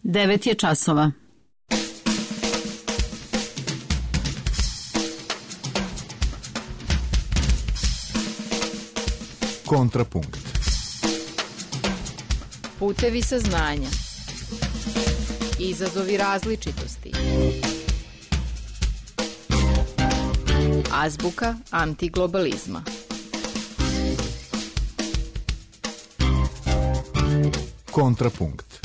9 je časova. Kontrapunkt. Putevi saznanja. Izazovi različitosti. Azbuka antiglobalizma. Kontrapunkt.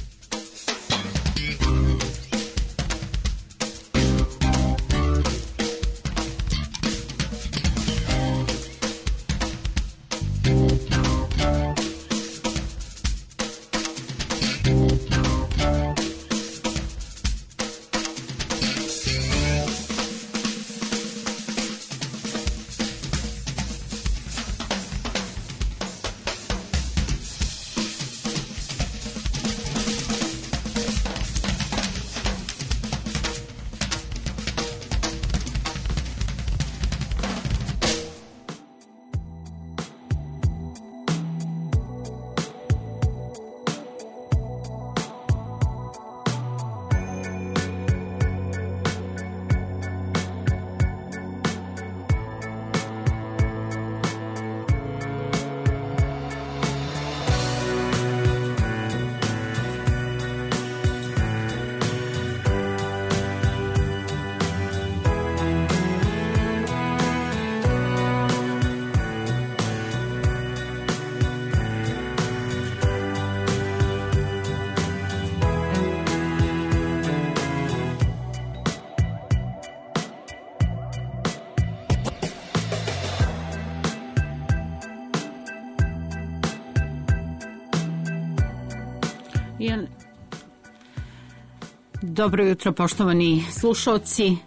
Dobro jutro, poštovani slušalci.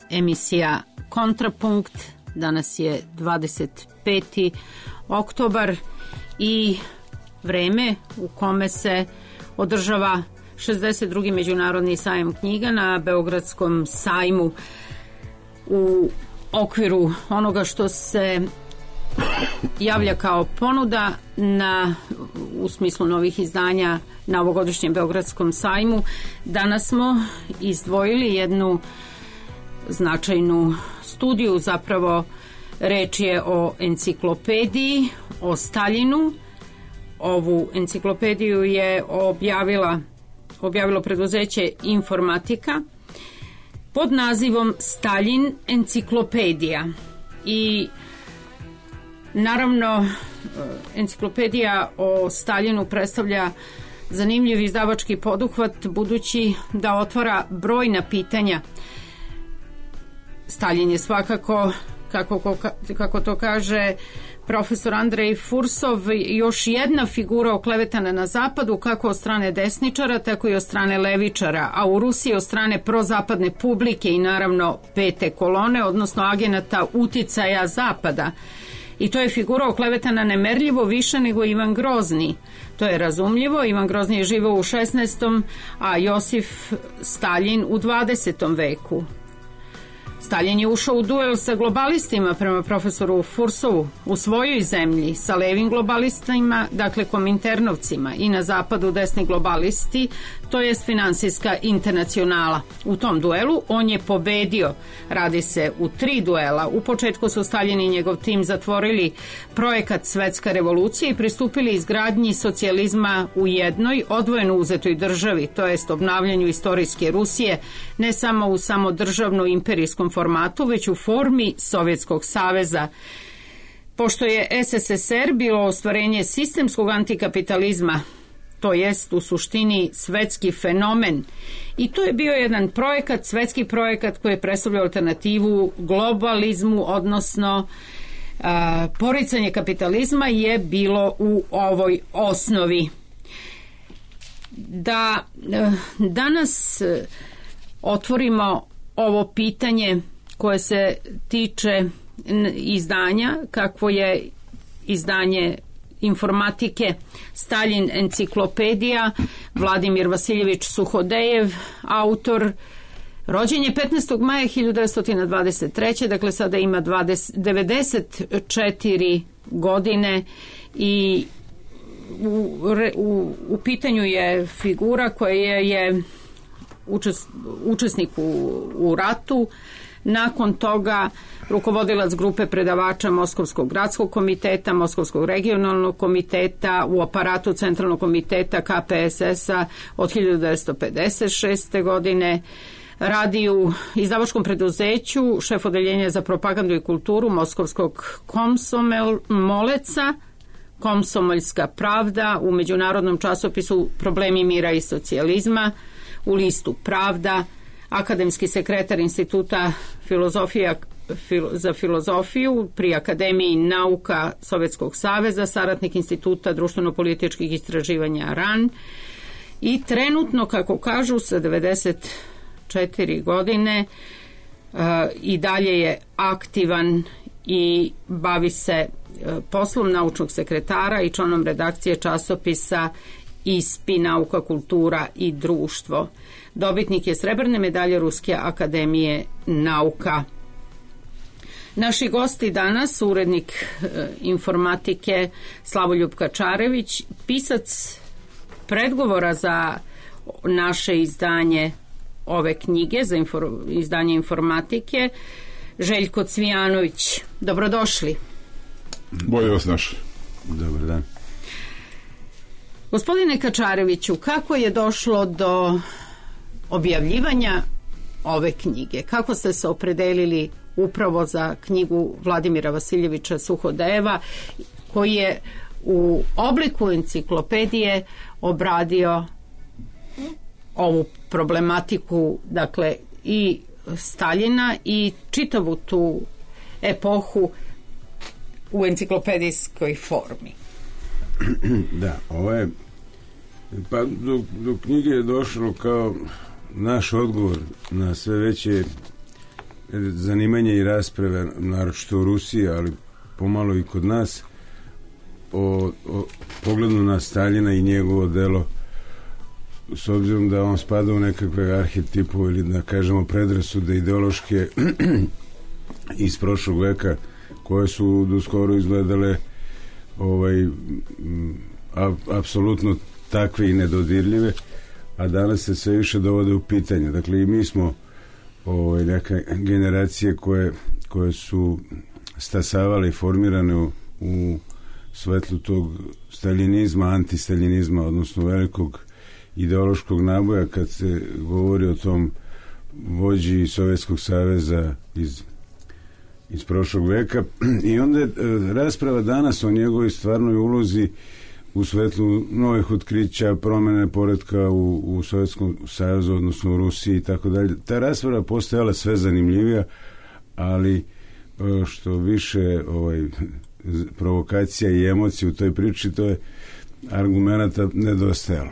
Emisija Kontrapunkt. Danas je 25. oktobar i vreme u kome se održava 62. međunarodni sajam knjiga na Beogradskom sajmu u okviru onoga što se javlja kao ponuda u smislu novih izdanja na ovogodišnjem Beogradskom sajmu. Danas smo izdvojili jednu značajnu studiju, zapravo reč je o enciklopediji, o Staljinu. Ovu enciklopediju je objavilo preduzeće Informatika pod nazivom Staljin enciklopedija. I naravno, enciklopedija o Staljinu predstavlja zanimljiv izdavački poduhvat, budući da otvara brojna pitanja. Staljin je svakako, kako to kaže profesor Andrej Fursov, još jedna figura oklevetana na zapadu, kako od strane desničara, tako i od strane levičara, a u Rusiji od strane prozapadne publike i naravno pete kolone, odnosno agenata uticaja zapada. I to je figura oklevetana nemerljivo više nego Ivan Grozni. To je razumljivo, Ivan Grozni je živao u 16. a Josif Staljin u 20. veku. Staljin je ušao u duel sa globalistima, prema profesoru Fursovu, u svojoj zemlji, sa levim globalistima, dakle kominternovcima, i na zapadu desni globalisti, to jest finansijska internacionala. U tom duelu on je pobedio. Radi se u 3 duela. U početku su Staljin i njegov tim zatvorili projekat Svetska revolucija i pristupili izgradnji socijalizma u jednoj odvojeno uzetoj državi, to jest obnavljanju istorijske Rusije, ne samo u samodržavno imperijskom formatu, već u formi Sovjetskog saveza. Pošto je SSSR bilo ostvarenje sistemskog antikapitalizma, to jest u suštini svetski fenomen, i to je bio jedan projekat, svetski projekat koji je predstavljao alternativu globalizmu, odnosno poricanje kapitalizma je bilo u ovoj osnovi. Da danas otvorimo ovo pitanje koje se tiče izdanja, kakvo je izdanje Informatike Staljin enciklopedija, Vladimir Vasiljević Suhodejev, autor, rođen je 15. maja 1923. Dakle sada ima 94 godine i u pitanju je figura koja je učesnik u ratu, nakon toga rukovodilac grupe predavača Moskovskog gradskog komiteta, Moskovskog regionalnog komiteta, u aparatu Centralnog komiteta KPSS-a od 1956. godine, radi u izdavačkom preduzeću, šef odeljenja za propagandu i kulturu Moskovskog Komsomoleca, Komsomoljska pravda, u međunarodnom časopisu Problemi mira i socijalizma, u listu Pravda, akademski sekretar Instituta za filozofiju pri Akademiji nauka Sovjetskog saveza, saradnik Instituta društveno-političkih istraživanja RAN i trenutno, kako kažu, sa 94 godine i dalje je aktivan i bavi se poslom naučnog sekretara i članom redakcije časopisa ISPI, nauka, kultura i društvo. Dobitnik je srebrne medalje Ruske akademije nauka. Naši gosti danas, urednik informatike Slavoljub Kačarević, pisac predgovora za naše izdanje ove knjige, za izdanje informatike, Željko Cvijanović. Dobrodošli. Bolje vas našli. Dobar dan. Gospodine Kačareviću, kako je došlo do objavljivanja ove knjige? Kako ste se opredelili upravo za knjigu Vladimira Vasiljevića Suhodejeva, koji je u obliku enciklopedije obradio ovu problematiku, dakle i Staljina i čitavu tu epohu u enciklopedijskoj formi? Da, ovo je, pa do knjige je došlo kao naš odgovor na sve veće zanimanje i rasprave, naročito u Rusiji, ali pomalo i kod nas, o pogledu na Staljina i njegovo delo, s obzirom da on spada u nekakve arhetipove ili da kažemo predrasude ideološke iz prošlog veka, koje su doskoro izgledale apsolutno takve i nedodirljive, a danas se sve više dovode u pitanje. Dakle, i mi smo neka generacije koje su stasavale i formirane u svetlu tog staljinizma, antistaljinizma, odnosno velikog ideološkog naboja, kad se govori o tom vođi Sovjetskog saveza iz prošlog veka. I onda je rasprava danas o njegovoj stvarnoj ulozi u svetlu novih otkrića, promene poretka u Sovjetskom savezu, odnosno u Rusiji i tako dalje. Ta rasprava postajala sve zanimljivija, ali što više provokacija i emocija u toj priči, to je argumenata nedostajalo.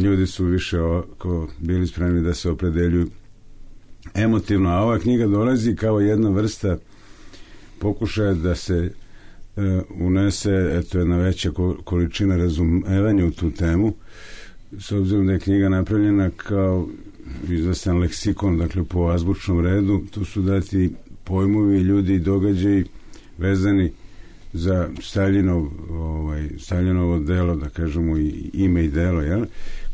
Ljudi su više bili spremni da se opredeljuju emotivno, a ova knjiga dolazi kao jedna vrsta pokušaja da se unese jedna veća količina razumevanja u tu temu, s obzirom da je knjiga napravljena kao izvestan leksikon, dakle po azbučnom redu. Tu su dati pojmovi, ljudi i događaji vezani za Staljinovo delo, da kažemo i ime i delo, jel?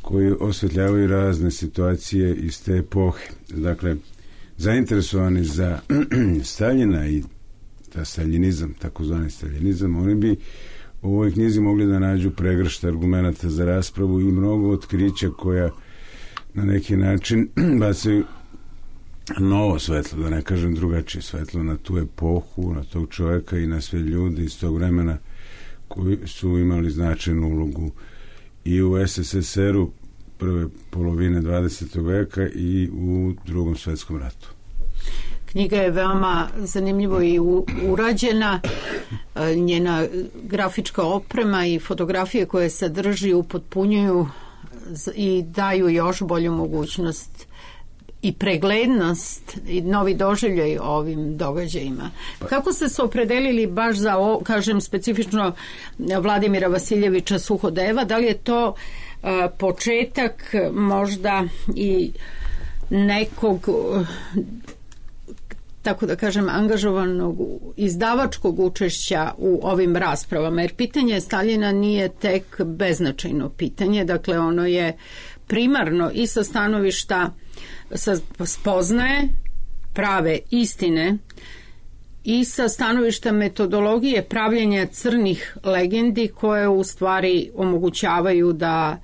Koji osvetljavaju razne situacije iz te epohe. Dakle, zainteresovani za Staljina i ta staljinizam, takozvani staljinizam, oni bi u ovoj knjizi mogli da nađu pregršt argumenata za raspravu i mnogo otkrića koja na neki način bacaju novo svetlo, da ne kažem drugačije svetlo, na tu epohu, na tog čovjeka i na sve ljudi iz tog vremena koji su imali značajnu ulogu i u SSSR-u prve polovine 20. veka i u Drugom svjetskom ratu. Knjiga je veoma zanimljivo i urađena, njena grafička oprema i fotografije koje sadrži upotpunjuju i daju još bolju mogućnost i preglednost i novi doživljaj ovim događajima. Kako ste se opredelili baš za ovo, kažem specifično Vladimira Vasiljevića Suhodejeva? Da li je to početak možda i nekog tako da kažem, angažovanog izdavačkog učešća u ovim raspravama, jer pitanje Staljina nije tek beznačajno pitanje, dakle ono je primarno i sa stanovišta spoznaje prave istine i sa stanovišta metodologije pravljenja crnih legendi koje u stvari omogućavaju da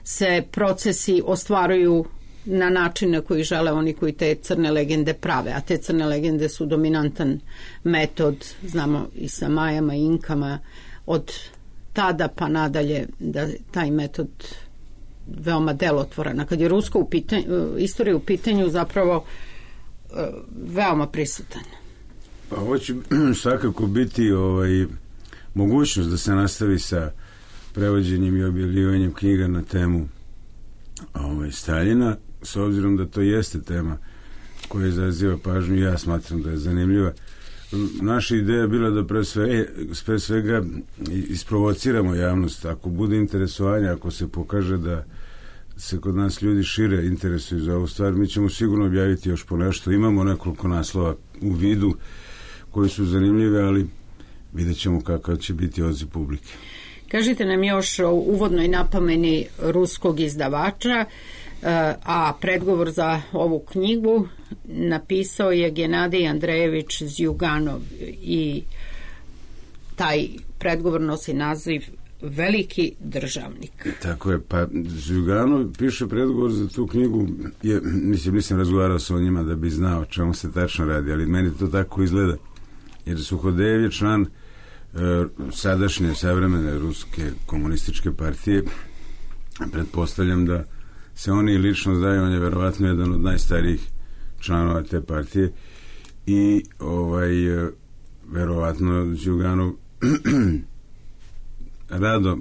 se procesi ostvaruju na način na koji žele oni koji te crne legende prave, a te crne legende su dominantan metod, znamo i sa Majama i Inkama od tada pa nadalje da taj metod veoma delotvoran. A kad je ruska istorija u pitanju zapravo veoma prisutan. Pa ovo će svakako biti mogućnost da se nastavi sa prevođenjem i objavljivanjem knjiga na temu Staljina, s obzirom da to jeste tema koja izaziva pažnju, ja smatram da je zanimljiva. Naša ideja je bila da pre svega isprovociramo javnost. Ako bude interesovanja, ako se pokaže da se kod nas ljudi šire interesuju za ovu stvar, mi ćemo sigurno objaviti još po nešto. Imamo nekoliko naslova u vidu koji su zanimljive, ali vidjet ćemo kakav će biti odziv publike. Kažite nam još o uvodnoj napomeni ruskog izdavača, a predgovor za ovu knjigu napisao je Genadij Andrejević Zjuganov i taj predgovor nosi naziv Veliki državnik. Tako je, pa Zjuganov piše predgovor za tu knjigu, nisam razgovarao sa njima da bi znao o čemu se tačno radi, ali meni to tako izgleda, jer Suhodejev je član sadašnje savremene ruske komunističke partije. Pretpostavljam da se oni lično znaju, on je verovatno jedan od najstarijih članova te partije i verovatno Zjuganov rado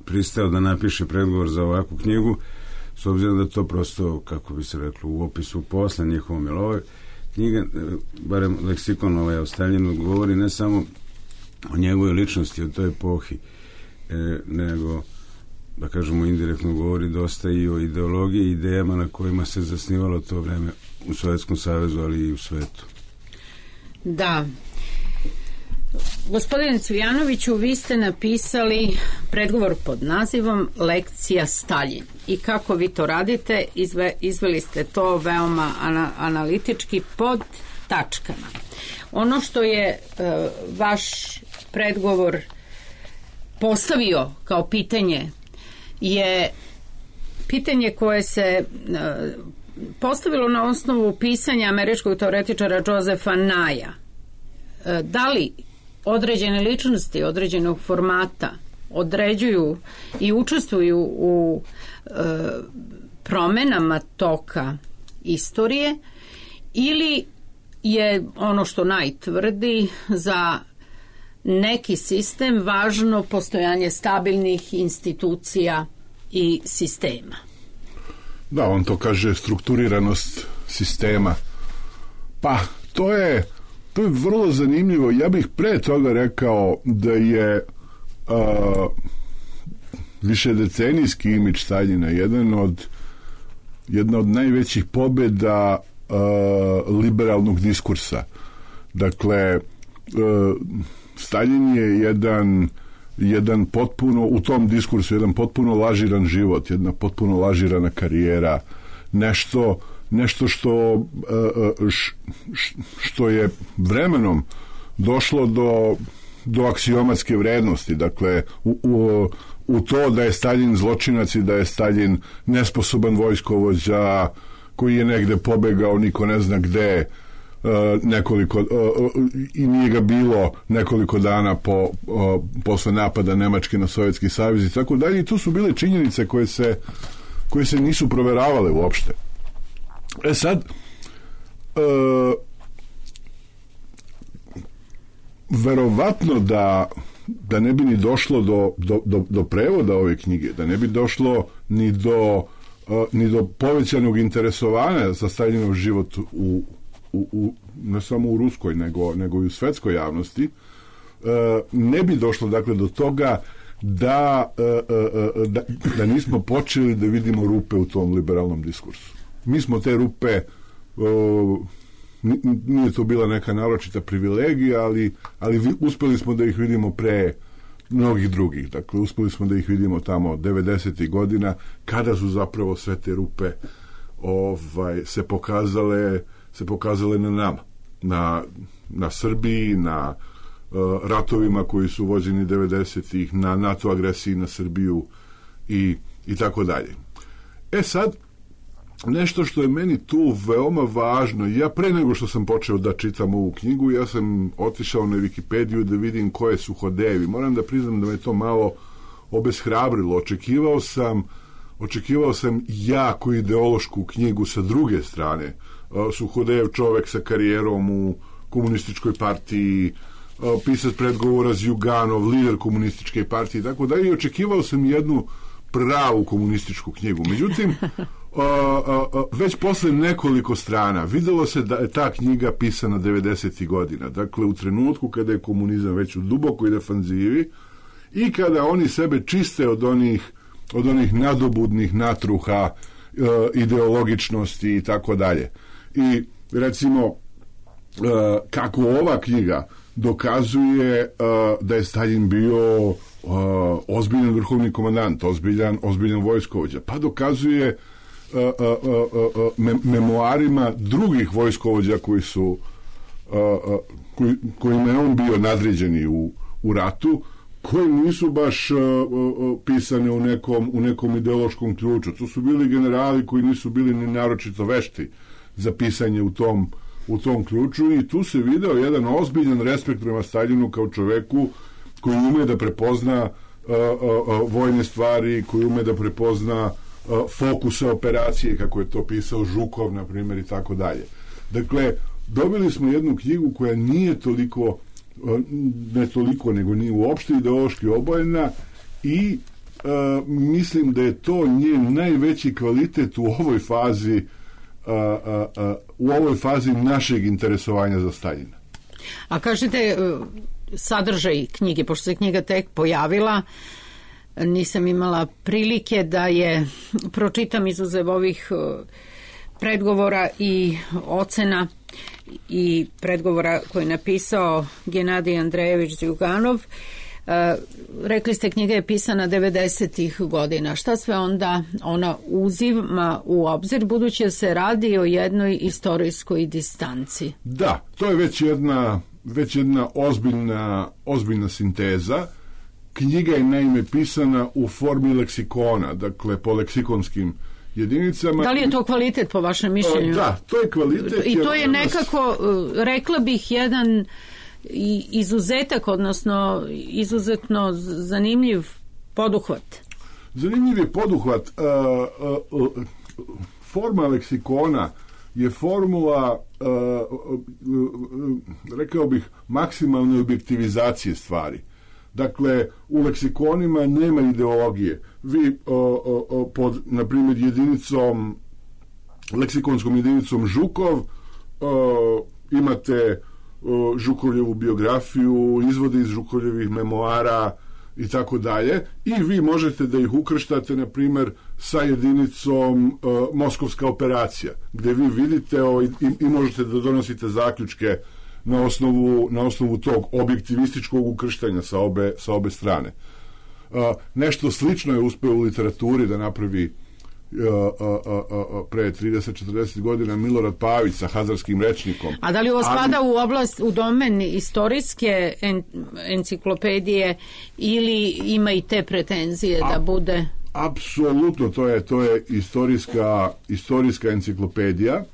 pristao da napiše predgovor za ovakvu knjigu, s obzirom da to prosto, kako bi se reklo, u opisu posla njihovom, jer ovo knjiga, barem leksikon o Staljinu, govori ne samo o njegovoj ličnosti, o toj epohi, nego, da kažemo, indirektno govori dosta i o ideologiji i idejama na kojima se zasnivalo to vreme u Sovjetskom savezu, ali i u svetu. Da. Gospodine Cvijanoviću, vi ste napisali predgovor pod nazivom Lekcija Staljin. I kako vi to radite, izveli ste to veoma analitički pod tačkama. Ono što je vaš predgovor postavio kao pitanje je pitanje koje se postavilo na osnovu pisanja američkog teoretičara Josepha Naya. Da li određene ličnosti određenog formata određuju i učestvuju u promenama toka istorije, ili je ono što najtvrdi za neki sistem važno postojanje stabilnih institucija i sistema? Da, on to kaže strukturiranost sistema. Pa, to je vrlo zanimljivo. Ja bih pre toga rekao da je višedecenijski imidž Staljina jedna od najvećih pobjeda liberalnog diskursa. Dakle, Staljin je jedan potpuno, u tom diskursu, jedan potpuno lažiran život, jedna potpuno lažirana karijera, nešto što je vremenom došlo do aksiomatske vrednosti. Dakle, u to da je Staljin zločinac i da je Staljin nesposoban vojskovođa koji je negde pobegao, niko ne zna gde, i nije ga bilo nekoliko dana posle napada Nemačke na Sovjetski savez i tako dalje. I tu su bile činjenice koje se nisu proveravale uopšte. Sad, verovatno da ne bi ni došlo do prevoda ove knjige, da ne bi došlo ni do povećanog interesovanja za Staljinov život ne samo u ruskoj, nego i u svetskoj javnosti, ne bi došlo, dakle, do toga da nismo počeli da vidimo rupe u tom liberalnom diskursu. Mi smo te rupe nije to bila neka naročita privilegija, ali uspeli smo da ih vidimo pre mnogih drugih. Dakle, uspeli smo da ih vidimo tamo 90. godina, kada su zapravo sve te rupe se pokazale na nama. Na Srbiji, na ratovima koji su vođeni 90-ih, na NATO agresiji na Srbiju i tako dalje. Sad, nešto što je meni tu veoma važno, ja pre nego što sam počeo da čitam ovu knjigu, ja sam otišao na Wikipediju da vidim koje su Hodejevi. Moram da priznam da me to malo obeshrabrilo. Očekivao sam jako ideološku knjigu sa druge strane. Suhodejev čovek sa karijerom u komunističkoj partiji, pisac predgovora Zjuganov, lider komunističke partije i tako dalje. I očekivao sam jednu pravu komunističku knjigu. Međutim, već posle nekoliko strana videlo se da je ta knjiga pisana 90. godina. Dakle, u trenutku kada je komunizam već u dubokoj defanzivi i kada oni sebe čiste od onih nadobudnih natruha, ideologičnosti i tako dalje. I recimo, kako ova knjiga dokazuje da je Staljin bio ozbiljan vrhovni komandant, ozbiljan vojskovođa, pa dokazuje memoarima drugih vojskovođa kojima je on bio nadređeni u ratu, koji nisu baš pisane u nekom ideološkom ključu. To su bili generali koji nisu bili ni naročito vešti za pisanje u tom ključu i tu se video jedan ozbiljan respekt prema Staljinu kao čoveku koji ume da prepozna vojne stvari, koji ume da prepozna fokuse operacije, kako je to pisao Žukov, na primjer, i tako dalje. Dakle, dobili smo jednu knjigu koja nije toliko, ne toliko, nego nije uopšte ideološki obojena i mislim da je to njen najveći kvalitet u ovoj fazi našeg interesovanja za Staljina. A kažete, sadržaj knjige, pošto se knjiga tek pojavila, nisam imala prilike da je pročitam izuzev ovih predgovora i ocena i predgovora koji je napisao Genadij Andrejević Zjuganov. Rekli ste, knjiga je pisana 90-ih godina. Šta sve onda ona uzima u obzir, budući da se radi o jednoj istorijskoj distanci? Da, to je već jedna ozbiljna sinteza. Knjiga je naime pisana u formi leksikona, dakle po leksikonskim jedinicama. Da li je to kvalitet po vašem mišljenju? Da, to je kvalitet. I to je nekako, rekla bih, jedan izuzetak, odnosno izuzetno zanimljiv poduhvat. Zanimljiv je poduhvat. Forma leksikona je formula, rekao bih, maksimalne objektivizacije stvari. Dakle, u leksikonima nema ideologije. Vi pod, na primjer, leksikonskom jedinicom Žukov imate Žukovljevu biografiju, izvode iz Žukovljevih memoara i tako dalje, i vi možete da ih ukrštate, na primjer, sa jedinicom Moskovska operacija, gde vi vidite i možete da donosite zaključke na osnovu tog objektivističkog ukrštanja sa obe strane. Nešto slično je uspeo u literaturi da napravi pre 30-40 godina Milorad Pavić sa Hazarskim rečnikom. A da li ovo spada u domen istorijske enciklopedije ili ima i te pretenzije da bude? Apsolutno, to je istorijska enciklopedija.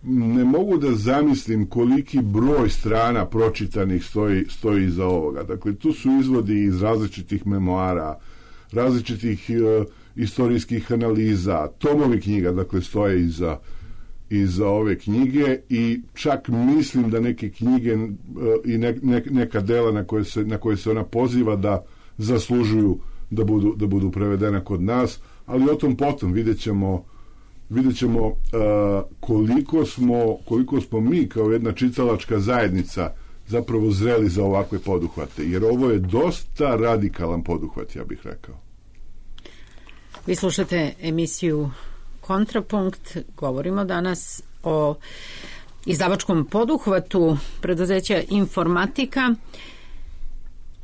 Ne mogu da zamislim koliki broj strana pročitanih stoji iza ovoga. Dakle, tu su izvodi iz različitih memoara, različitih istorijskih analiza, tomovi knjiga, dakle, stoje iza ove knjige, i čak mislim da neke knjige i neka dela na koje se ona poziva da zaslužuju da budu prevedena kod nas, ali o tom potom vidjet ćemo koliko smo mi kao jedna čitalačka zajednica zapravo zreli za ovakve poduhvate, jer ovo je dosta radikalan poduhvat, ja bih rekao. Vi slušate emisiju Kontrapunkt. Govorimo danas o izdavačkom poduhvatu preduzeća Informatika.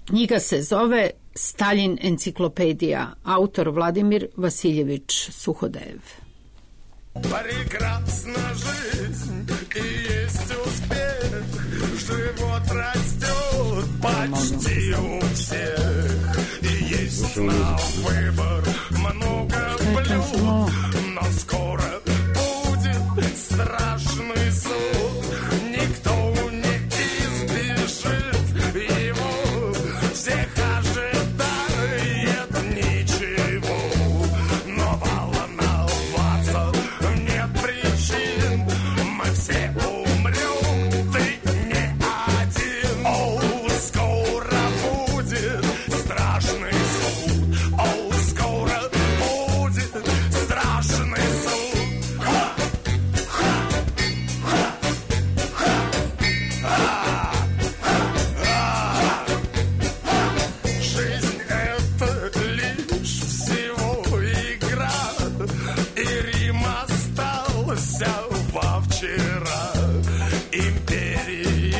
Knjiga se zove Staljin enciklopedija, autor Vladimir Vasiljević Suhodev. Прекрасна жизнь и есть успех, живот растет почти у всех, и есть на выбор много блюд, но скоро будет страшный суд, никто не избежит его, всех ожидает ничего, но волноваться нет причин, мы все умрем, ты не один. О, скоро будет страшный суд, о, скоро будет страшный суд. Ха! Ха! Ха! Ха! Жизнь — это лишь всего игра, и Рим остался во вчера. Империи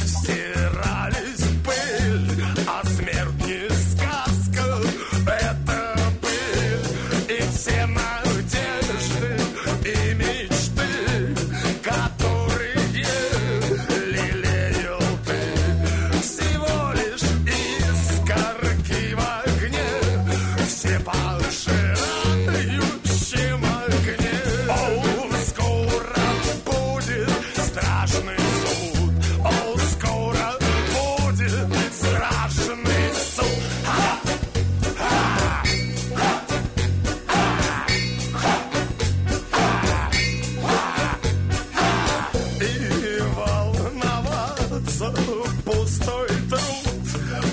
стирались в пыль, а смерть не сказка, это пыль. И все надежды и мечты, которые лелеял ты, всего лишь искорки в огне, все пожирающем огне. О, скоро будет страшный суд, о, скоро будет страшный суд. Ха! Ха! Ха! И волноваться пустой труд,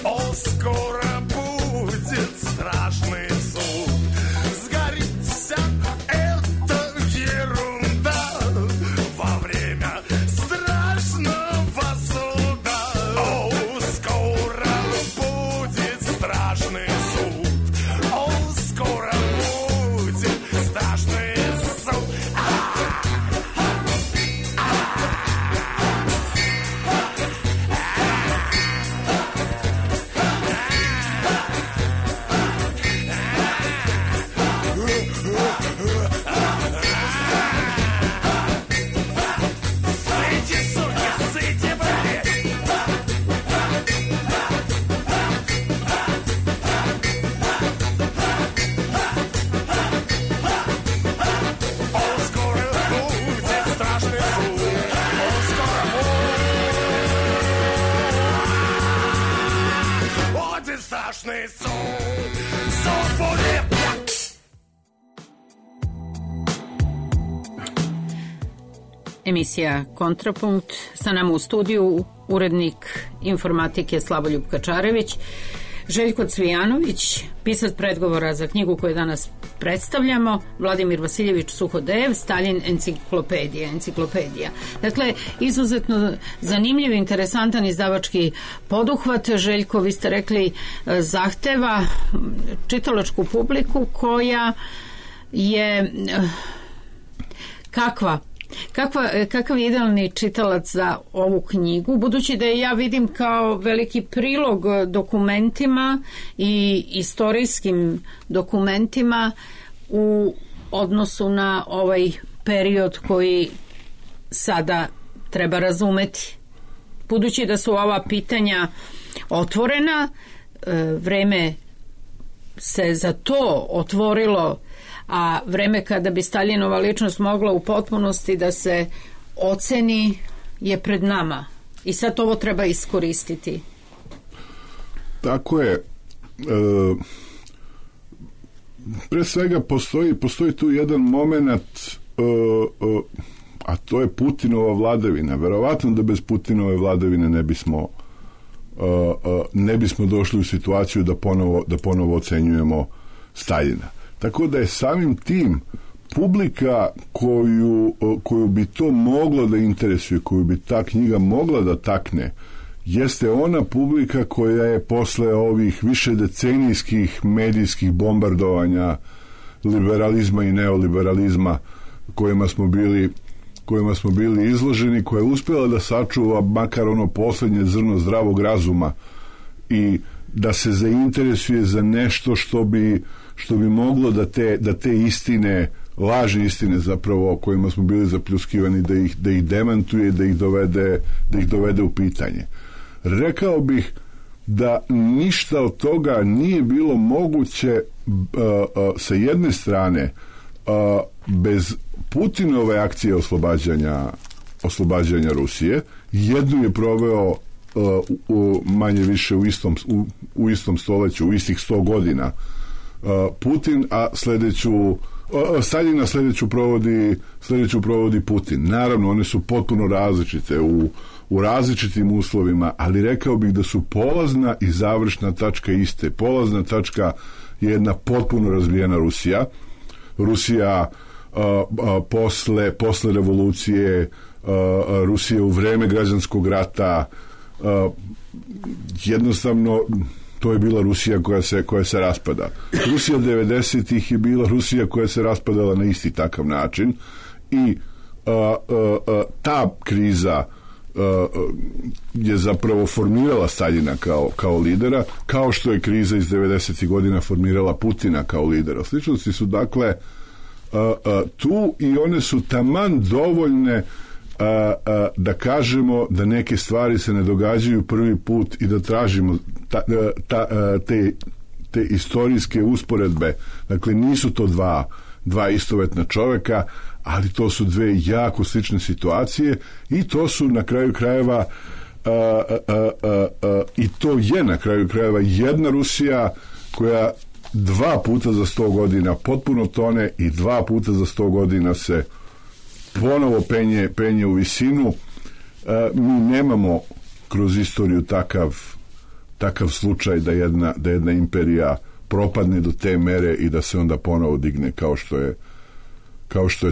о, скоро будет страшный суд. Сгорит вся эта ерунда во время страшного суда. О, скоро будет страшный суд, о, скоро будет страшный суд. Сыти, суки, сыти, блядь! О, скоро будет страшный суд, о, скоро будет страшный суд. Суд будет! Emisija Kontrapunkt, sa nama u studiju urednik Informatike Slavoljub Kačarević, Željko Cvijanović, pisac predgovora za knjigu koju danas predstavljamo, Vladimir Vasiljević Suhodev, Staljin enciklopedija. Dakle, izuzetno zanimljiv, interesantan izdavački poduhvat. Željko, vi ste rekli, zahteva čitalačku publiku koja je kakav je idealni čitalac za ovu knjigu, budući da je ja vidim kao veliki prilog dokumentima i istorijskim dokumentima u odnosu na ovaj period koji sada treba razumeti. Budući da su ova pitanja otvorena, vreme se za to otvorilo, a vreme kada bi Staljinova ličnost mogla u potpunosti da se oceni je pred nama. I sad ovo treba iskoristiti. Tako je. Pre svega postoji tu jedan moment, a to je Putinova vladavina. Verovatno da bez Putinove vladavine ne bismo došli u situaciju da ponovo ocenjujemo Staljina. Tako da je samim tim publika koju bi to moglo da interesuje, koju bi ta knjiga mogla da takne, jeste ona publika koja je posle ovih višedecenijskih medijskih bombardovanja liberalizma i neoliberalizma kojima smo bili kojima smo bili izloženi, koja je uspjela da sačuva makar ono posljednje zrno zdravog razuma i da se zainteresuje za nešto što bi moglo da te istine, lažne istine zapravo o kojima smo bili zapljuskivani, da ih demantuje, da ih dovede u pitanje. Rekao bih da ništa od toga nije bilo moguće sa jedne strane bez Putinove akcije oslobađanja Rusije. Jednu je proveo manje više u istom stoljeću, u istih 100 godina Putin, a Staljina sljedeću provodi Putin. Naravno, one su potpuno različite u različitim uslovima, ali rekao bih da su polazna i završna tačka iste. Polazna tačka je jedna potpuno razvijena Rusija. Rusija posle revolucije, Rusija u vreme građanskog rata, jednostavno to je bila Rusija koja se raspada. Rusija 90-ih je bila Rusija koja se raspadala na isti takav način i ta kriza je zapravo formirala Staljina kao lidera, kao što je kriza iz 90-ih godina formirala Putina kao lidera. Sličnosti su dakle tu i one su taman dovoljne da kažemo da neke stvari se ne događaju prvi put i da tražimo te istorijske usporedbe. Dakle, nisu to dva istovetna čovjeka, ali to su dve jako slične situacije i to su na kraju krajeva i to je na kraju krajeva jedna Rusija koja 2 puta za 100 godina potpuno tone i 2 puta za 100 godina se ponovo penje u visinu. Mi nemamo kroz istoriju takav slučaj da jedna imperija propadne do te mere i da se onda ponovo digne kao što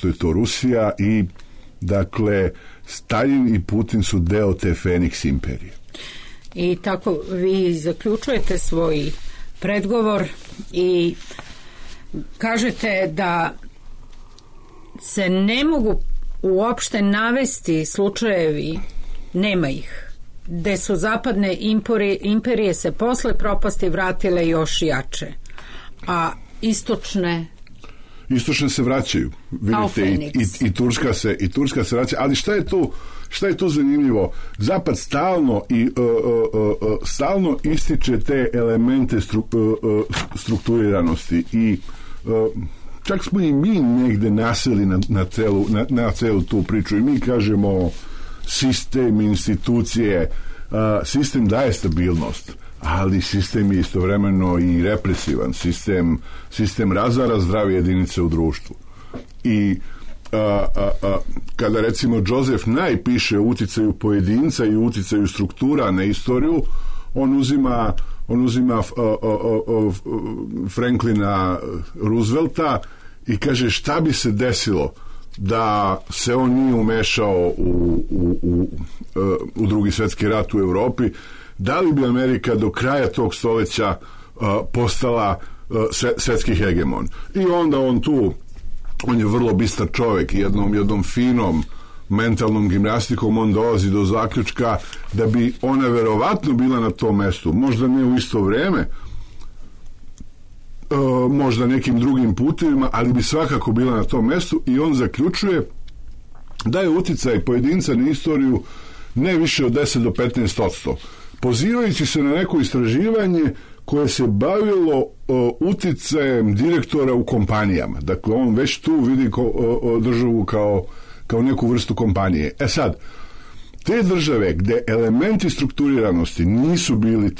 je to Rusija. I dakle Staljin i Putin su deo te Feniks imperije. I tako vi zaključujete svoj predgovor i kažete da se ne mogu uopšte navesti slučajevi, nema ih, gde su zapadne imperije se posle propasti vratile još jače, a istočne se vraćaju. Vidite, i Turska se vraća, ali šta je tu zanimljivo? Zapad stalno ističe te elemente strukturiranosti i čak smo i mi negde naseli na celu tu priču i mi kažemo sistem, institucije, sistem daje stabilnost, ali sistem je istovremeno i represivan. Sistem razara zdrave jedinice u društvu. I kada recimo Joseph Nye piše o uticaju pojedinca i uticaju struktura na istoriju, on uzima Franklina Roosevelta i kaže šta bi se desilo da se on nije umešao u Drugi svjetski rat u Europi, da li bi Amerika do kraja tog stoljeća postala svjetski hegemon. I onda on je vrlo bistar čovjek i jednom finom mentalnom gimnastikom on dolazi do zaključka da bi ona verovatno bila na tom mestu, možda ne u isto vrijeme, možda nekim drugim putevima, ali bi svakako bila na tom mestu i on zaključuje da je uticaj pojedinca na istoriju ne više od 10 do 15%, pozivajući se na neko istraživanje koje se bavilo uticajem direktora u kompanijama. Dakle, on već tu vidi državu kao neku vrstu kompanije. Sad, te države gde elementi strukturiranosti nisu bili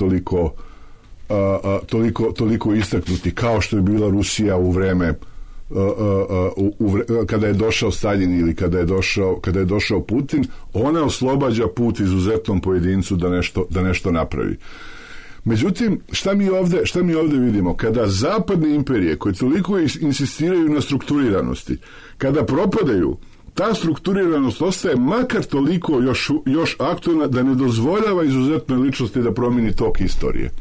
toliko istaknuti kao što je bila Rusija u vreme kada je došao Staljin ili kada je došao Putin, ona oslobađa put izuzetnom pojedincu da nešto napravi. Međutim, šta mi ovdje vidimo? Kada zapadne imperije koje toliko insistiraju na strukturiranosti, kada propadaju, ta strukturiranost ostaje makar toliko još aktualna da ne dozvoljava izuzetnoj ličnosti da promijeni tok istorije.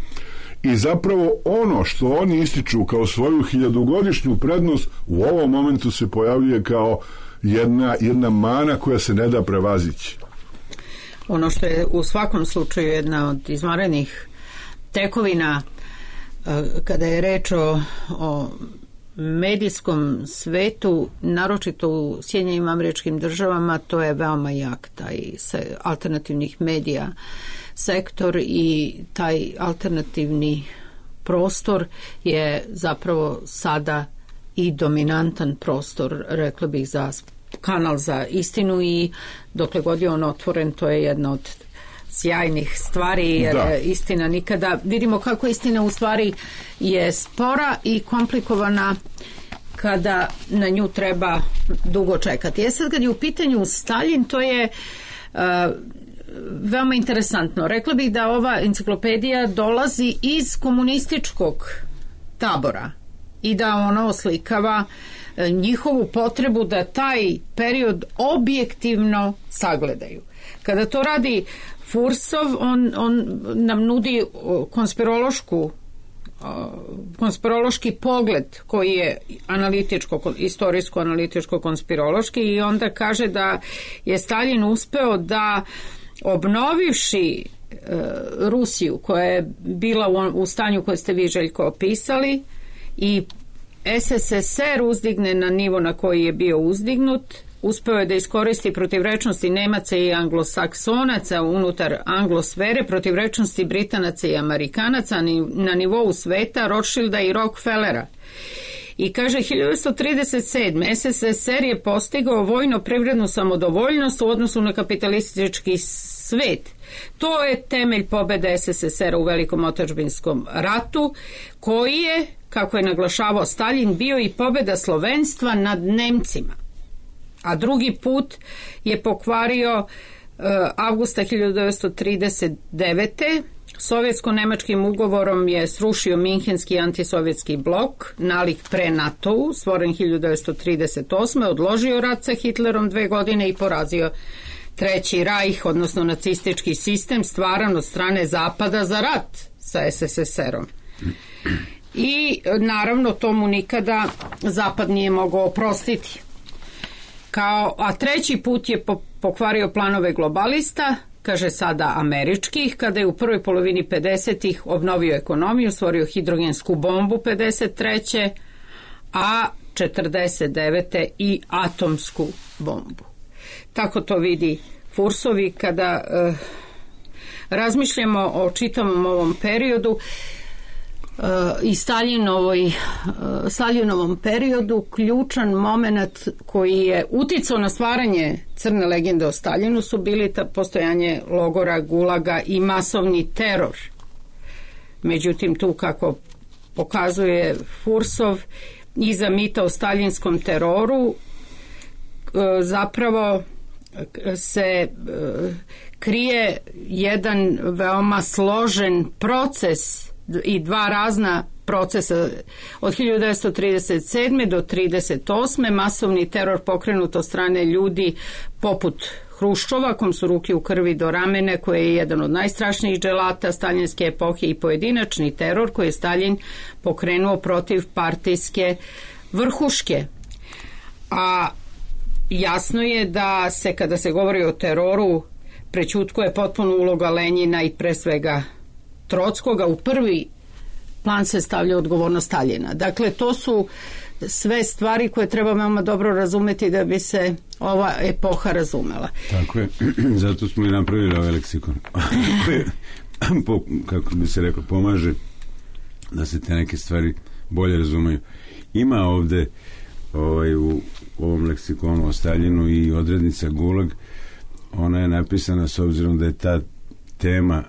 i zapravo ono što oni ističu kao svoju 1000-godišnju prednost u ovom momentu se pojavljuje kao jedna mana koja se ne da prevazići. Ono što je u svakom slučaju jedna od izvanrednih tekovina kada je reč o medijskom svetu, naročito u Sjedinjenim Američkim Državama, to je veoma jak taj alternativnih medija sektor i taj alternativni prostor je zapravo sada i dominantan prostor, rekla bih, za kanal za istinu i dokle god je on otvoren, to je jedna od sjajnih stvari, jer istina nikada, vidimo kako istina u stvari je spora i komplikovana kada na nju treba dugo čekati. Sad kad je u pitanju Staljin, to je veoma interesantno. Rekla bih da ova enciklopedija dolazi iz komunističkog tabora i da ono oslikava njihovu potrebu da taj period objektivno sagledaju. Kada to radi Fursov, on nam nudi konspirološki pogled koji je istorijsko-analitičko-konspirološki i onda kaže da je Staljin uspeo da obnovivši Rusiju koja je bila u stanju koje ste vi, Željko, opisali i SSSR uzdigne na nivo na koji je bio uzdignut, uspeo je da iskoristi protivrečnosti Nemaca i Anglosaksonaca unutar anglosfere, protivrečnosti Britanaca i Amerikanaca na nivou sveta, Rothschilda i Rockefellera. I kaže 1937. SSSR je postigao vojno-privrednu samodovoljnost u odnosu na kapitalistički svet. To je temelj pobjede SSSR-a u Velikom otadžbinskom ratu, koji je, kako je naglašavao Staljin, bio i pobjeda slovenstva nad Nemcima. A drugi put je pokvario avgusta 1939. Sovjetsko-nemačkim ugovorom je srušio Minhenski antisovjetski blok, nalik pre NATO-u, stvoren 1938. Odložio rat sa Hitlerom 2 godine i porazio Treći Rajh, odnosno nacistički sistem stvaran od strane Zapada za rat sa SSSR-om. I naravno tomu nikada Zapad nije mogao oprostiti. A treći put je pokvario planove globalista, kaže sada američkih, kada je u prvoj polovini 50-ih obnovio ekonomiju, stvorio hidrogensku bombu 53. a 49. i atomsku bombu. Tako to vidi Fursovi kada razmišljamo o čitavom ovom periodu i Staljinovom periodu. Ključan moment koji je uticao na stvaranje crne legende o Staljinu su bili postojanje logora, gulaga i masovni teror. Međutim, tu, kako pokazuje Fursov, iza mita o staljinskom teroru zapravo se krije jedan veoma složen proces i dva razna procesa. Od 1937. do 1938. masovni teror pokrenut od strane ljudi poput Hruščova, kom su ruke u krvi do ramene, koji je jedan od najstrašnijih dželata staljinske epohe, i pojedinačni teror koji je Staljin pokrenuo protiv partijske vrhuške. A jasno je da se, kada se govori o teroru, prećutkuje potpuno uloga Lenjina i pre svega Trockoga. U prvi plan se stavlja odgovornost Staljina. Dakle, to su sve stvari koje treba veoma dobro razumeti da bi se ova epoha razumela. Tako je, zato smo i napravili ovaj leksikon. Kako bi se rekao, pomaže da se te neke stvari bolje razumeju. Ima ovde u ovom leksikonu o Staljinu i odrednica Gulag. Ona je napisana s obzirom da je ta tema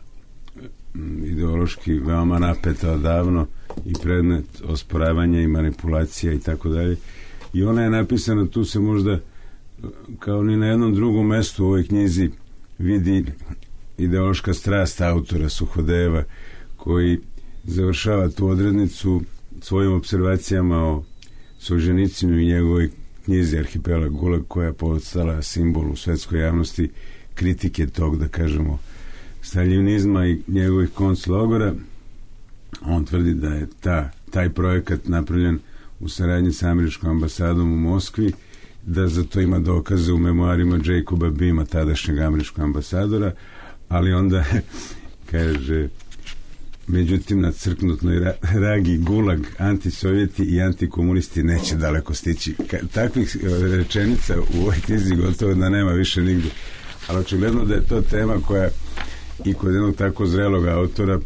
ideološki veoma napeta odavno i predmet osporavanja i manipulacija i tako dalje. I ona je napisana, tu se možda kao ni na jednom drugom mestu u ovoj knjizi vidi ideološka strast autora Suhodeva, koji završava tu odrednicu svojim observacijama o Solženicinu i njegovoj knjizi Arhipelag Gulag, koja je postala simbol u svetskoj javnosti kritike tog, da kažemo, staljinizma i njegovih konclogora. On tvrdi da je taj projekat napravljen u saradnji sa američkom ambasadom u Moskvi, da za to ima dokaze u memoarima Jacoba Beama, tadašnjeg američkog ambasadora, ali onda kaže, međutim na crknutnoj ragi gulag, antisovjeti i antikomunisti neće daleko stići. Takvih rečenica u ovoj knjizi gotovo da nema više nigdje. Ali očigledno da je to tema koja i kod jednog tako zrelog autora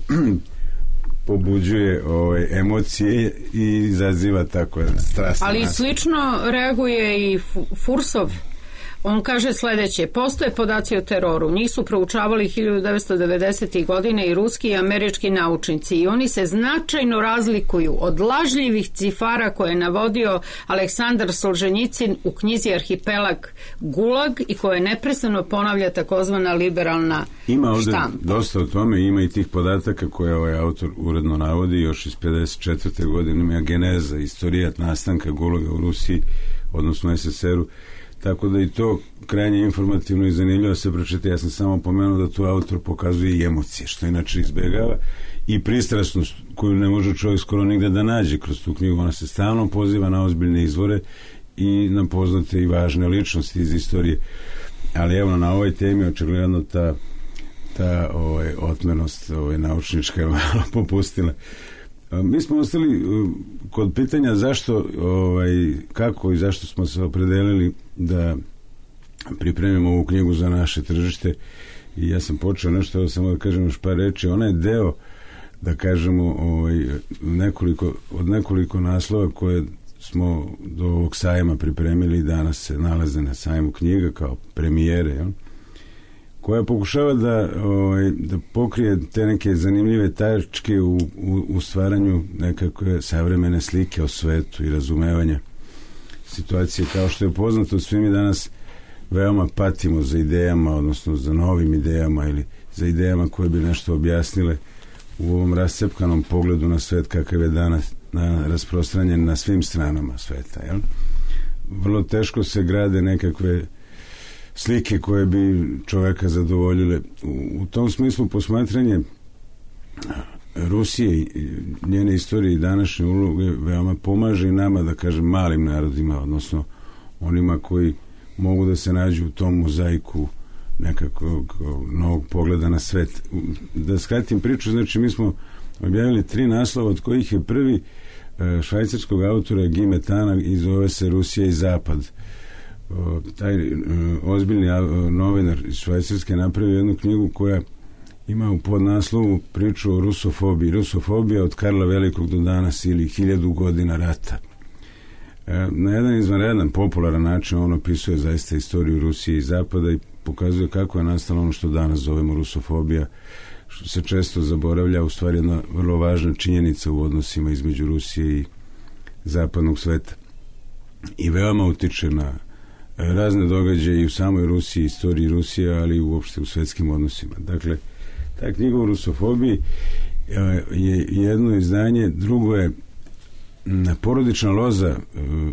pobuđuje emocije i izaziva tako strasno. Ali slično reaguje i Fursov. On kaže sljedeće: postoje podaci o teroru, njih su proučavali 1990. godine i ruski i američki naučnici i oni se značajno razlikuju od lažljivih cifara koje je navodio Aleksandar Solženjicin u knjizi Arhipelag Gulag i koje neprestano ponavlja takozvana liberalna štampa. Ima ovdje dosta o tome, ima i tih podataka koje ovaj autor uredno navodi još iz 54. godine, ima geneza, istorijat nastanka Gulaga u Rusiji, odnosno SSR-u. Tako da i to krajnje informativno i zanimljivo se pročita. Ja sam samo pomenuo da tu autor pokazuje i emocije, što inače izbjegava, i pristrasnost koju ne može čovjek skoro nigde da nađe kroz tu knjigu. Ona se stalno poziva na ozbiljne izvore i na poznate i važne ličnosti iz istorije. Ali evo, na ovoj temi očigledno ta otmenost naučnička je malo popustila. Mi smo ostali kod pitanja zašto, kako i zašto smo se opredelili da pripremimo ovu knjigu za naše tržište, i ja sam počeo nešto, samo da kažem još par reči. Ona je deo, da kažemo, od nekoliko naslova koje smo do ovog sajma pripremili i danas se nalaze na sajmu knjiga kao premijere, koja pokušava da pokrije te neke zanimljive tačke u stvaranju nekakve savremene slike o svetu i razumevanja situacije. Kao što je poznato, svi mi danas veoma patimo za idejama, odnosno za novim idejama ili za idejama koje bi nešto objasnile u ovom rascepkanom pogledu na svet kakav je danas rasprostranjen na svim stranama sveta. Jel? Vrlo teško se grade nekakve slike koje bi čovjeka zadovoljile. U tom smislu posmatranje Rusije i njene istorije i današnje uloge veoma pomaže i nama, da kažem, malim narodima, odnosno onima koji mogu da se nađu u tom mozaiku nekakvog novog pogleda na svet. Da skratim priču, znači mi smo objavili 3 naslova, od kojih je prvi švajcarskog autora Guy Metana i zove se Rusija i Zapad. Taj ozbiljni novinar iz Švajcarske napravio jednu knjigu koja ima u podnaslovu priču o rusofobiji. Rusofobija od Karla Velikog do danas ili 1000 godina rata. Na jedan izvanredan, popularan način on opisuje zaista istoriju Rusije i Zapada i pokazuje kako je nastalo ono što danas zovemo rusofobija, što se često zaboravlja, u stvari jedna vrlo važna činjenica u odnosima između Rusije i zapadnog sveta. I veoma utiče na razne događaje i u samoj Rusiji, istoriji Rusije, ali i uopšte u svetskim odnosima. Dakle, ta knjiga o rusofobiji je jedno izdanje, drugo je porodična loza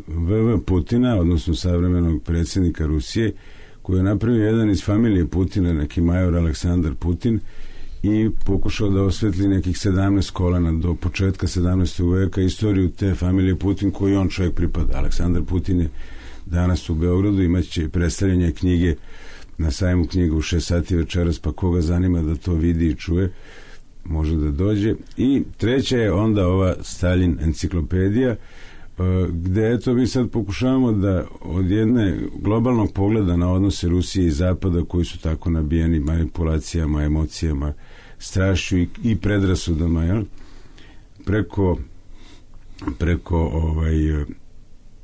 V.V. Putina, odnosno savremenog predsjednika Rusije, koji je napravio jedan iz familije Putina, neki major Aleksandar Putin, i pokušao da osvetli nekih 17 kolena do početka 17. veka istoriju te familije Putin koji on čovjek pripada. Aleksandar Putin je danas u Beogradu, imaće predstavljanje knjige na sajmu knjiga u 6 sati večeras, pa koga zanima da to vidi i čuje, može da dođe. I treća je onda ova Stalin enciklopedija, gde eto mi sad pokušavamo da od jedne globalnog pogleda na odnose Rusije i Zapada, koji su tako nabijeni manipulacijama, emocijama, strašću i predrasudama, jel? Preko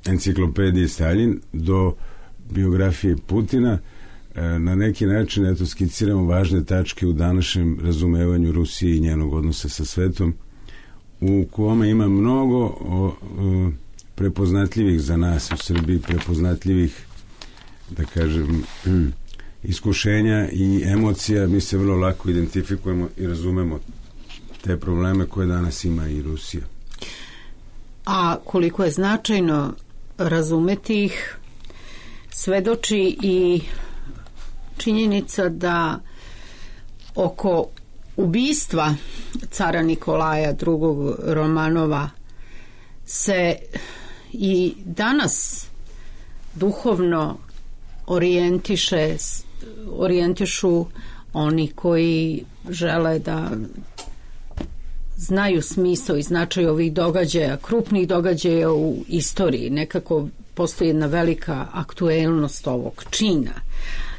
enciklopedije Stalin do biografije Putina, na neki način eto skiciramo važne tačke u današnjem razumevanju Rusije i njenog odnosa sa svetom, u kome ima mnogo prepoznatljivih za nas u Srbiji, prepoznatljivih, da kažem, iskušenja i emocija. Mi se vrlo lako identifikujemo i razumemo te probleme koje danas ima i Rusija. A koliko je značajno razumeti ih, svedoči i činjenica da oko ubistva cara Nikolaja II. Romanova se i danas duhovno orijentišu oni koji žele da znaju smisao i značaj ovih događaja, krupnih događaja u istoriji. Nekako postoji jedna velika aktuelnost ovog čina.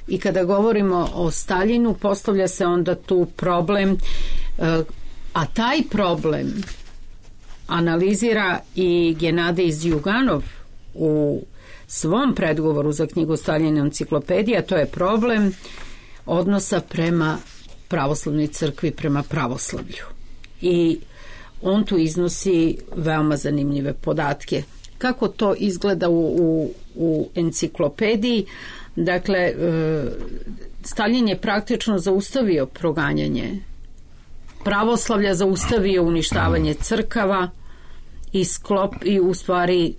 I kada govorimo o Staljinu, postavlja se onda tu problem, a taj problem analizira i Genadij Zjuganov u svom predgovoru za knjigu Staljina enciklopedija. To je problem odnosa prema pravoslavnoj crkvi, prema pravoslavlju. I on tu iznosi veoma zanimljive podatke. Kako to izgleda u enciklopediji? Dakle, Staljin je praktično zaustavio proganjanje pravoslavlja, zaustavio uništavanje crkava i u stvari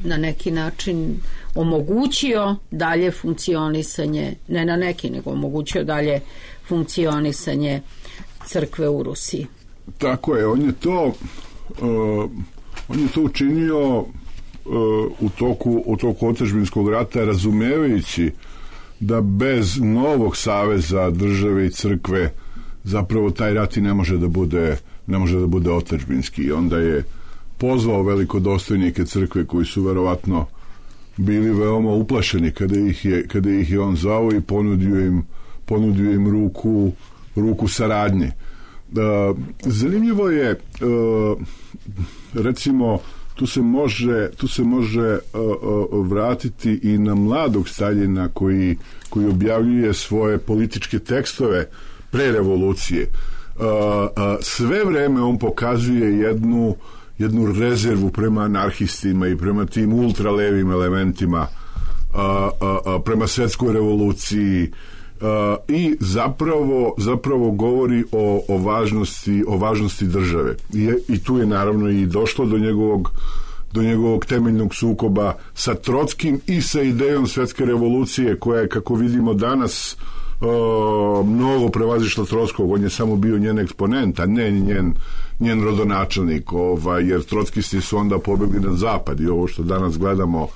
na neki način omogućio dalje funkcionisanje, ne na neki, nego omogućio dalje funkcionisanje crkve u Rusiji. Tako je, on je to učinio u toku otadžbinskog rata, razumevajući da bez novog saveza države i crkve zapravo taj rat i ne može da bude otadžbinski. I onda je pozvao velikodostojnike crkve koji su verovatno bili veoma uplašeni kada ih je on zvao i ponudio im ruku saradnje. Zanimljivo je, recimo, tu se može vratiti i na mladog Staljina koji objavljuje svoje političke tekstove pre revolucije. Sve vreme on pokazuje jednu rezervu prema anarhistima i prema tim ultralevim elementima, prema svetskoj revoluciji, i zapravo govori o važnosti države. I tu je naravno i došlo do njegovog temeljnog sukoba sa Trotskim i sa idejom svetske revolucije, koja je, kako vidimo danas, mnogo prevazišla Trotskog. On je samo bio njen eksponent, a ne njen rodonačelnik, jer trotskisti su onda pobegli na zapad i ovo što danas gledamo,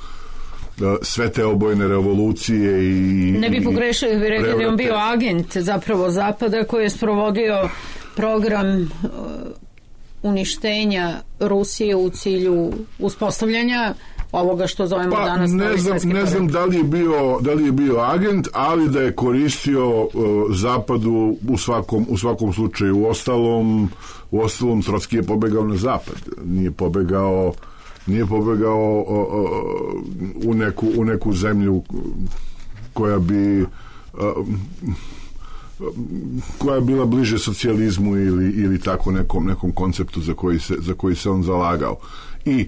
sve te obojene revolucije i... Ne bi pogrešio, bi rekli da je on bio agent zapravo Zapada koji je sprovodio program uništenja Rusije u cilju uspostavljanja ovoga što zovemo danas ne znam da li je bio agent, ali da je koristio Zapadu u svakom slučaju. U ostalom Trotski je pobegao na zapad, nije pobegao u neku zemlju koja je bila bliže socijalizmu ili tako nekom konceptu za koji se on zalagao. I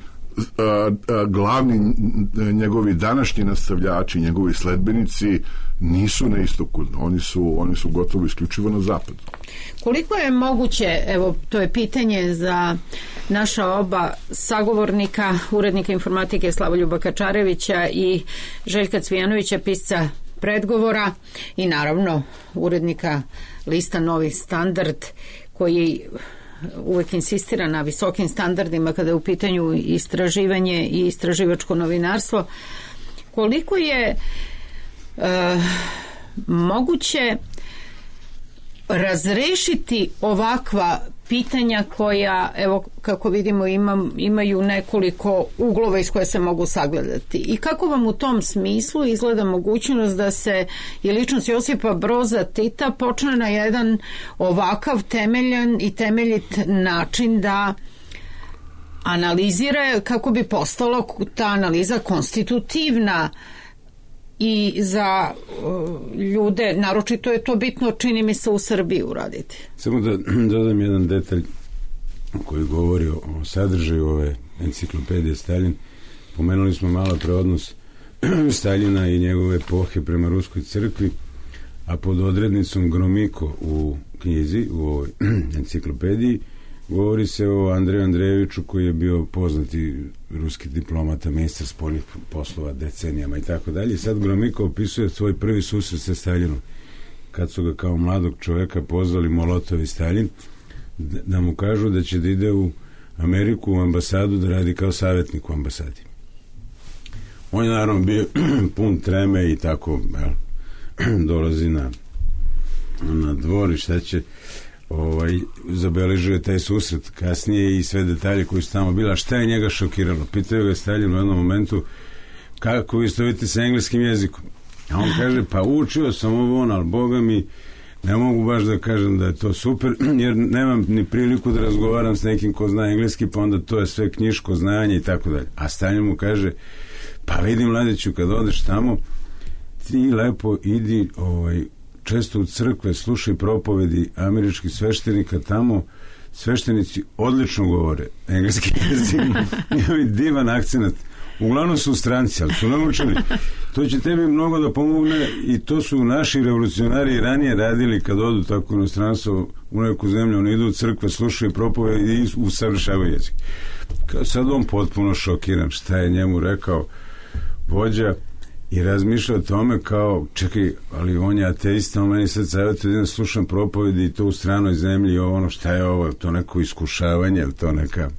glavni njegovi današnji nastavljači, njegovi sledbenici nisu na istoku, oni su gotovo isključivo na zapadu. Koliko je moguće, evo to je pitanje za naša oba sagovornika, urednika informatike Slavoljuba Kačarevića i Željka Cvijanovića, pisca predgovora, i naravno urednika lista Novi standard, koji uvek insistira na visokim standardima kada je u pitanju istraživanje i istraživačko novinarstvo. Koliko je moguće razrešiti ovakva pitanja koja, evo kako vidimo, imaju nekoliko uglova iz koje se mogu sagledati, i kako vam u tom smislu izgleda mogućnost da se i ličnost Josipa Broza Tita počne na jedan ovakav temeljan i temeljit način da analizira, kako bi postala ta analiza konstitutivna i za ljude, naročito je to bitno, čini mi se, u Srbiji uraditi. Samo da dodam jedan detalj koji govori o sadržaju ove enciklopedije Staljin. Pomenuli smo malo pre odnos Staljina i njegove epohe prema Ruskoj crkvi, a pod odrednicom Gromiko u knjizi, u ovoj enciklopediji, govori se o Andreju Andrejeviću, koji je bio poznati ruski diplomata, ministar spoljnih poslova decenijama i tako dalje. Sad Gromiko opisuje svoj prvi susret sa Staljinom kad su ga kao mladog čoveka pozvali Molotov i Stalin, da mu kažu da će da ide u Ameriku u ambasadu da radi kao savjetnik u ambasadi. On je naravno bio pun treme i tako, dolazi na dvor i šta će, zabeležio je taj susret kasnije i sve detalje koji su tamo bila. Šta je njega šokiralo? Pitaju ga Stalin u jednom momentu kako vi stojite sa engleskim jezikom. A on kaže, pa učio sam ovo, ali Boga mi ne mogu baš da kažem da je to super, jer nemam ni priliku da razgovaram s nekim ko zna engleski, pa onda to je sve knjiško znanje i tako dalje. A Stalin mu kaže, pa vidim, mladiću, kad odeš tamo, ti lepo idi često u crkve, slušaj propovedi američkih sveštenika tamo, sveštenici odlično govore engleski jezik, imaju divan akcenat. Uglavnom su stranci, ali su naučili. To će tebi mnogo da pomogne i to su naši revolucionari ranije radili kad odu tako u inostranstvo u neku zemlju, oni idu u crkve, slušaju propovedi i usavršavaju jezik. Sad on potpuno šokiran šta je njemu rekao vođa i razmišlja o tome kao, čekaj, ali on je ateista, on meni sad savjetuje da slušam propovedi i to u stranoj zemlji i ono, šta je ovo, to neko iskušavanje, to neka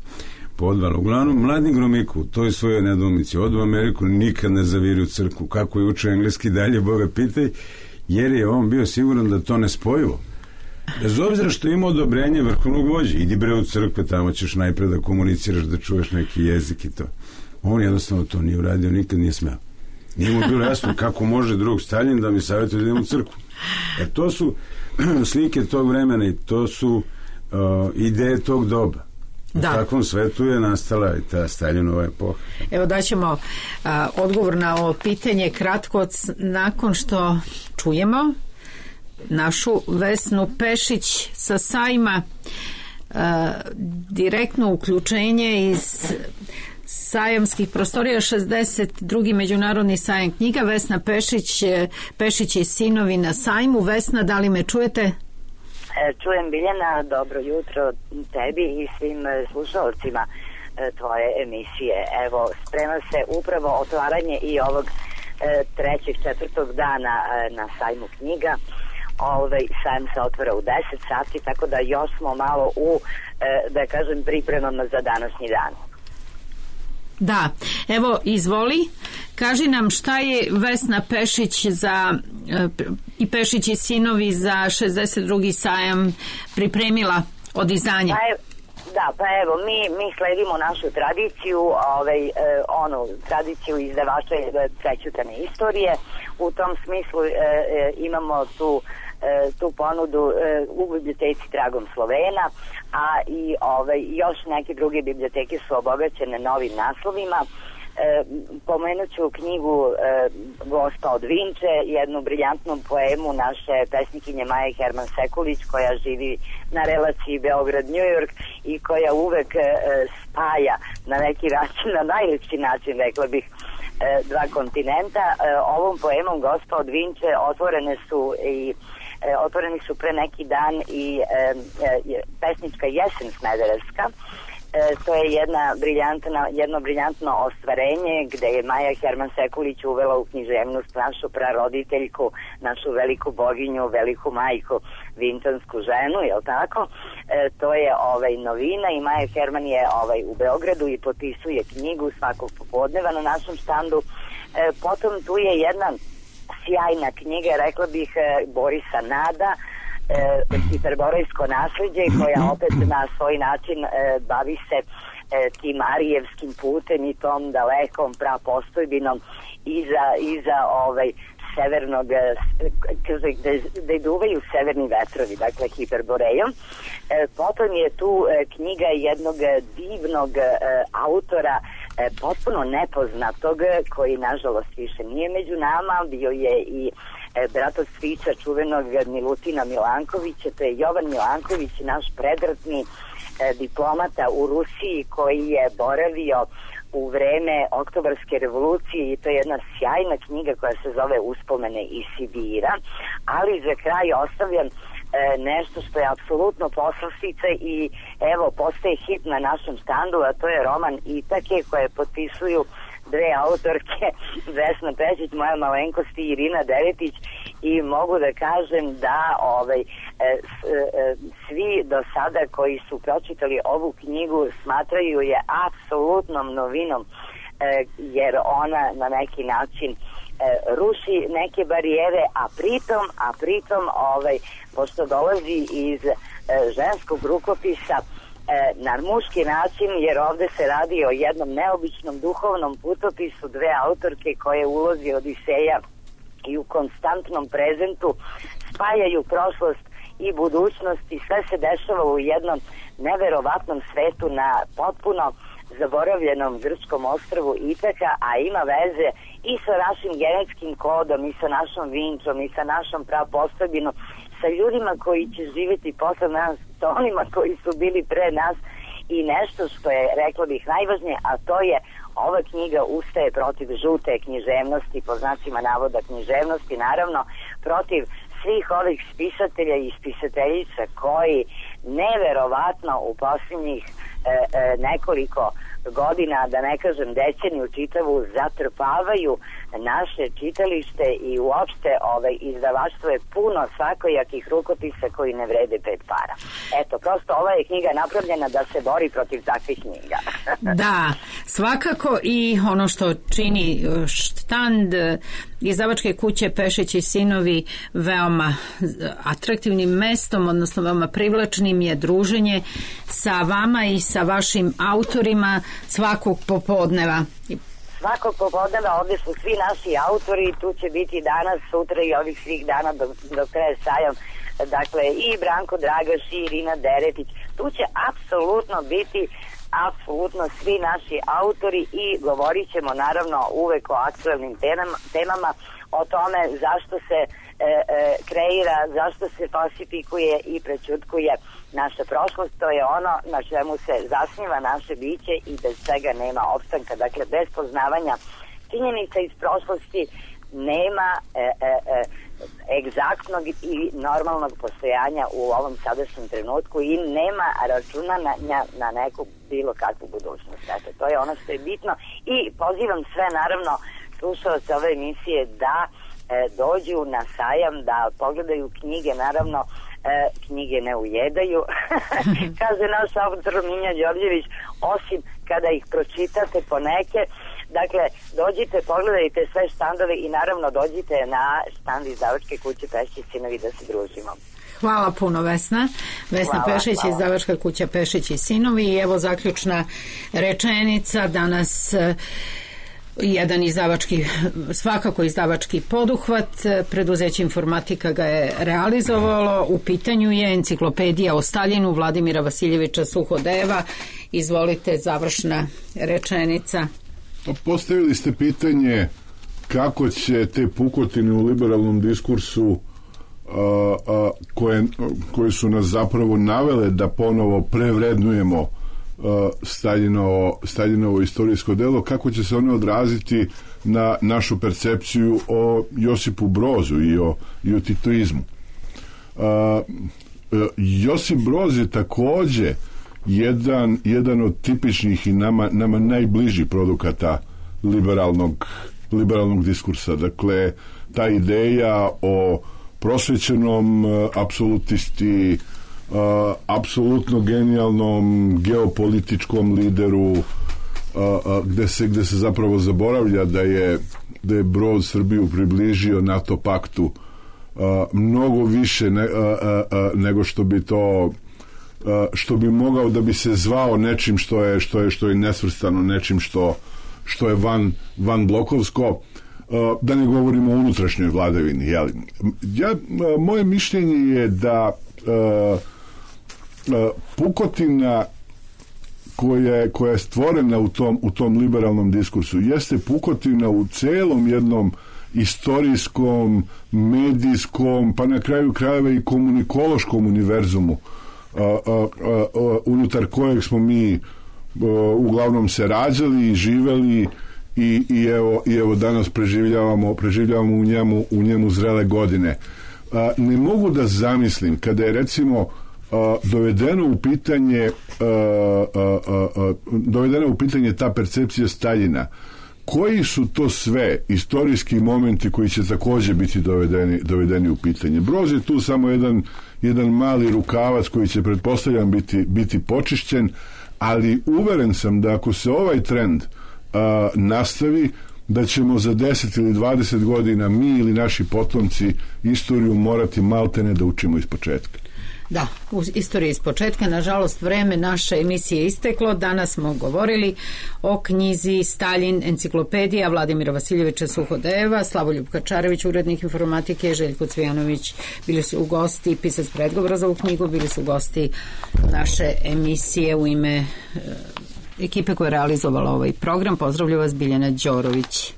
podvala. Uglavnom, mladi Gromiku, to je svoje nedoumici, odu u Ameriku, nikad ne zaviri u crkvu, kako je učio engleski, dalje Boga pitaj, jer je on bio siguran da to ne spojivo. Bez obzira što ima odobrenje vrhovnog vođe, idi bre u crkve, tamo ćeš najpred da komuniciraš, da čuješ neki jezik i to. On jednostavno to nije uradio, nikad nije smeo. Nije mu bilo jasno kako može drug Stalin da mi savjetuje da idem u crkvu. Jer to su slike tog vremena i to su ideje tog doba. U takvom svetu je nastala i ta Staljinova epoha. Evo daćemo odgovor na ovo pitanje kratko nakon što čujemo našu Vesnu Pešić sa sajma, direktno uključenje iz sajamskih prostorija, 62. međunarodni sajam knjiga. Vesna Pešić i sinovi na sajmu. Vesna, da li me čujete? Čujem, Biljana, dobro jutro tebi i svim slušalcima tvoje emisije. Evo, sprema se upravo otvaranje i ovog 3. 4. dana na sajmu knjiga. Sajam se otvara u 10 sati, tako da još smo malo u, da kažem, pripremama za današnji dan. Da, evo, izvoli, kaži nam šta je Vesna Pešić i Pešić i sinovi za 62. sajam pripremila od izdanja. Pa evo, mi sledimo našu tradiciju, tradiciju izdavača prećutane istorije. U tom smislu imamo tu ponudu u biblioteci Tragom Slovena, a i još neke druge biblioteke su obogaćene novim naslovima. Pomenut ću knjigu Gospa od Vinče, jednu briljantnu poemu naše pesnikinje Maje Herman Sekulić, koja živi na relaciji Beograd-New York i koja uvek spaja na neki način, na najljepši način, rekla bih, dva kontinenta. Ovom poemom Gospa od Vinče otvoreni su pre neki dan i pesnička Jesen Smederevska. To je jedno briljantno ostvarenje gde je Maja Herman Sekulić uvela u književnost našu praroditeljku, našu veliku boginju, veliku majku, vinčansku ženu, jel tako? To je novina i Maja Herman je u Beogradu i potpisuje knjigu svakog popodneva na našem štandu. Potom tu je jedna sjajna knjiga, rekla bih, Borisa Nada, Hiperborejsko nasleđe, koja opet na svoj način bavi se tim arijevskim putem i tom dalekom prapostojbinom iza severnog, gde duvaju severni vetrovi, dakle Hiperborejom. Potom je tu knjiga jednog divnog autora, potpuno nepoznatog, koji nažalost više nije među nama, bio je i brat od strica čuvenog Milutina Milankovića, to je Jovan Milanković, naš predratni diplomata u Rusiji koji je boravio u vreme Oktobarske revolucije i to je jedna sjajna knjiga koja se zove Uspomene iz Sibira, ali za kraj ostavljam nešto što je apsolutno poslastica i evo postaje hit na našem štandu, a to je roman Itake koje potpisuju dve autorke, Vesna Pešić, moja malenkost i Irina Deretić, i mogu da kažem da svi do sada koji su pročitali ovu knjigu smatraju je apsolutnom novinom, jer ona na neki način ruši neke barijere, a pritom pošto dolazi iz ženskog rukopisa na muški način, jer ovde se radi o jednom neobičnom duhovnom putopisu dve autorke koje u ulozi Odiseja i u konstantnom prezentu spajaju prošlost i budućnost i sve se dešava u jednom neverovatnom svetu na potpuno zaboravljenom grčkom ostrvu Itaka, a ima veze i sa našim genetskim kodom i sa našom Vinčom i sa našom prapostojbinom, sa ljudima koji će živjeti posle nas, sa onima koji su bili pre nas, i nešto što je, rekla bih, najvažnije, a to je ova knjiga ustaje protiv žute književnosti, po znacima navoda književnosti, naravno protiv svih ovih spisatelja i spisateljica koji neverovatno u posljednjih nekoliko godina, da ne kažem deceniju čitavu, zatrpavaju naše čitalište i uopšte izdavaštvo je puno svakojakih rukopisa koji ne vrede 5 para. Eto, prosto ova je knjiga napravljena da se bori protiv takvih knjiga. Da, svakako, i ono što čini štand izdavačke kuće Pešić i sinovi veoma atraktivnim mestom, odnosno veoma privlačnim, je druženje sa vama i sa vašim autorima svakog popodneva. Svakog popodneva ovdje su svi naši autori, tu će biti danas, sutra i ovih svih dana dok traje sajam, dakle i Branko Dragaš i Irina Deretić, tu će apsolutno biti svi naši autori i govorit ćemo naravno uvek o aktuelnim temama, o tome zašto se kreira, zašto se falsifikuje i prećutkuje naša prošlost. To je ono na čemu se zasniva naše biće i bez čega nema opstanka. Dakle, bez poznavanja činjenica iz prošlosti nema egzaktnog i normalnog postojanja u ovom sadašnjem trenutku i nema računanja na neku bilo kakvu budućnost. Dakle, to je ono što je bitno i pozivam sve naravno slušalce ove emisije da dođu na sajam, da pogledaju knjige, naravno knjige ne ujedaju, kaže naš autor Minja Đorđević, osim kada ih pročitate po neke. Dakle, dođite, pogledajte sve štandove i naravno dođite na štand izdavačke kuće Pešić i sinovi da se družimo. Hvala puno, Vesna. Vesna Pešić, izdavačka kuća Pešić i sinovi. I evo zaključna rečenica danas. Jedan svakako izdavački poduhvat, preduzeće Informatika ga je realizovalo, u pitanju je enciklopedija o Staljinu Vladimira Vasiljevića Suhodeva. Izvolite, završna rečenica. Postavili ste pitanje kako će te pukotine u liberalnom diskursu koje su nas zapravo navele da ponovo prevrednujemo Staljinovo istorijsko delo, kako će se ono odraziti na našu percepciju o Josipu Brozu i o titoizmu. Josip Broz je takođe jedan od tipičnih i nama najbližih produkata liberalnog diskursa. Dakle, ta ideja o prosvećenom apsolutisti, apsolutno genijalnom geopolitičkom lideru, gde se zapravo zaboravlja da je Broz Srbiju približio NATO paktu mnogo više nego što bi mogao da bi se zvao nečim što je nesvrstano, nečim što je van blokovsko, da ne govorimo o unutrašnjoj vladavini. Moje mišljenje je da pukotina koja je stvorena u tom liberalnom diskursu jeste pukotina u celom jednom istorijskom, medijskom, pa na kraju krajeva i komunikološkom univerzumu unutar kojeg smo mi uglavnom se rađali i živeli i evo danas preživljavamo u njemu zrele godine. Ne mogu da zamislim kada je recimo dovedena u pitanje ta percepcija Staljina koji su to sve istorijski momenti koji će takođe biti dovedeni u pitanje. Broz je tu samo jedan mali rukavac koji će, pretpostavljam, biti počišćen, ali uveren sam da ako se ovaj trend nastavi, da ćemo za 10 ili 20 godina mi ili naši potomci istoriju morati maltene da učimo iz početka. Da, u istoriji iz početka. Nažalost, vreme naše emisije isteklo. Danas smo govorili o knjizi Staljin, enciklopedija Vladimira Vasiljevića Suhodeva, Slavoljub Kačarević, urednik informatike, Željko Cvijanović bili su u gosti, pisac predgovora za ovu knjigu, bili su gosti naše emisije. U ime ekipe koja je realizovala ovaj program pozdravlja vas Biljana Đorović.